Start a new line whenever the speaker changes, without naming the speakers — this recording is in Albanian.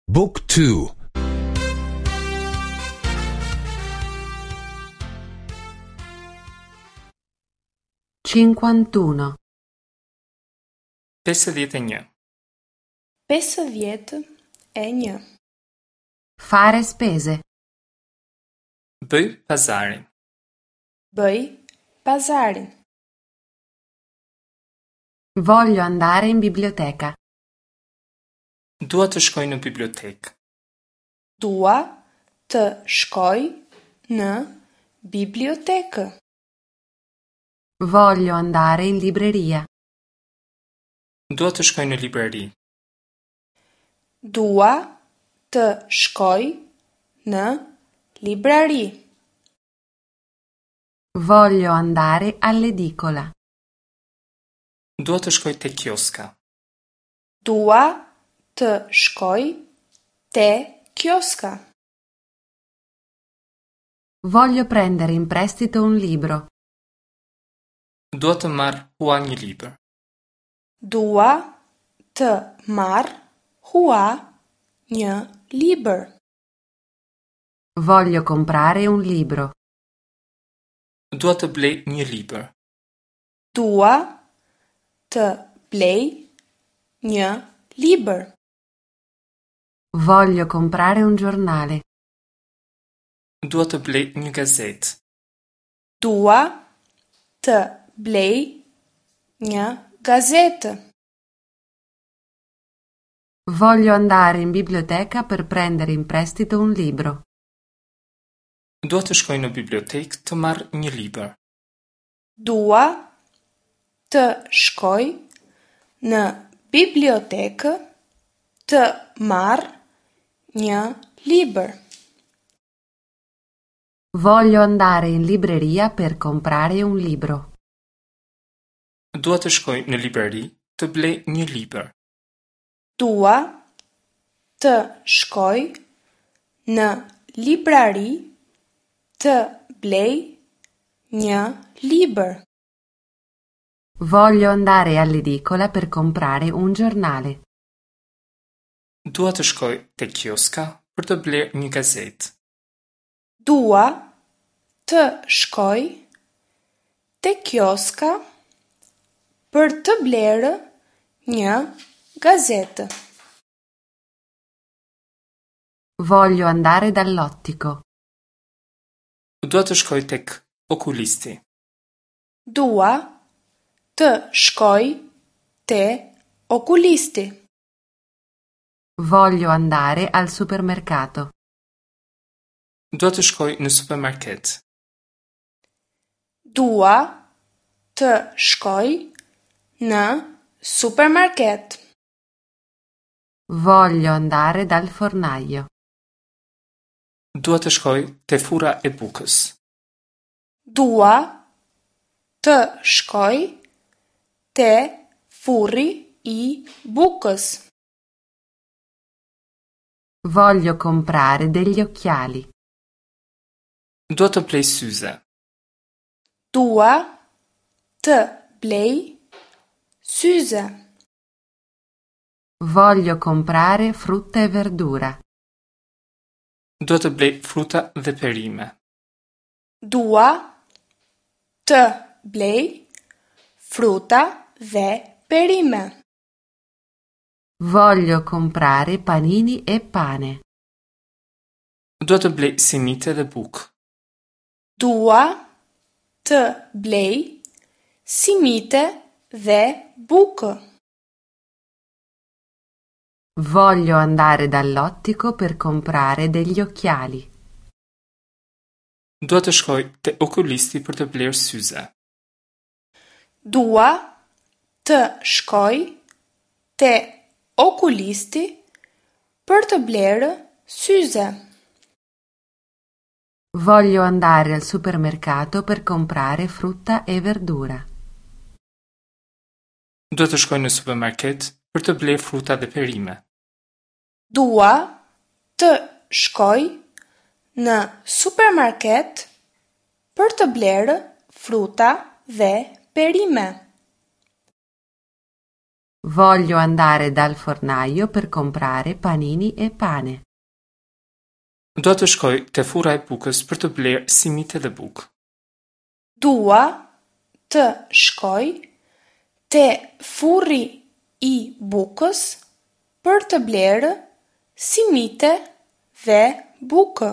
Book 2
51.
51.
51.
Fare spese.
Bëj pazarin.
Bëj pazarin.
Voglio andare in biblioteca.
Dua të shkoj në bibliotekë.
Dua të shkoj në bibliotekë.
Voglio andare in libreria.
Dua të shkoj në librari.
Dua të shkoj në librari.
Voglio andare all'edicola.
Dua të shkoj te kioska.
Dua të shkoj te kioska.
Voglio prendere in prestito un libro.
Dua të marr hua një libër.
Dua të marr hua një libër.
Voglio comprare un libro.
Dua të blej një libër.
Dua të blej një libër.
Voglio comprare un giornale.
Dua të blej një gazetë.
Dua të blej një gazetë.
Voglio andare in biblioteca per prendere in prestito un libro.
Dua të shkoj në bibliotekë të marr një libër.
Dua të shkoj në bibliotekë të marr një libër.
Voglio andare in libreria per comprare un libro.
Dua të shkoj në librari të blej një libër.
Dua të shkoj në librari të blej një libër.
Voglio andare all'edicola per comprare un giornale.
Dua të shkoj te kioska për të blerë një gazetë.
Dua të shkoj te kioska për të blerë një gazetë.
Voglio andare dall'ottico.
Dua të shkoj tek okulisti.
Dua të shkoj te okulisti.
Voglio andare al supermercato.
Dua të shkoj në supermarket.
Dua të shkoj në supermarket.
Voglio andare dal fornaio.
Dua të shkoj te furra e bukës.
Dua të shkoj te furri i bukës.
Voglio comprare degli occhiali.
Dua të blej syze.
Dua të blej syze.
Voglio comprare frutta e verdura.
Dua të blej fruta dhe perime.
Dua të blej fruta dhe perime.
Voglio comprare panini e pane.
Dua të blej simite dhe bukë.
Dua të blej simite dhe bukë.
Voglio andare dall'ottico per comprare degli occhiali.
Dua të shkoj te okulisti për të blerë syze.
Dua të shkoj te okulisti për të blerë syze.
Voglio andare al supermercato per comprare frutta e verdura.
Dua të shkoj në supermarket për të blerë fruta dhe perime.
Dua të shkoj në supermarket për të blerë fruta dhe perime.
Voglio andare dal fornaio per comprare panini e pane.
Dua të shkoj te furra e bukës për të blerë simite dhe bukë.
Dua të shkoj te furri i bukës për të blerë simite dhe bukë.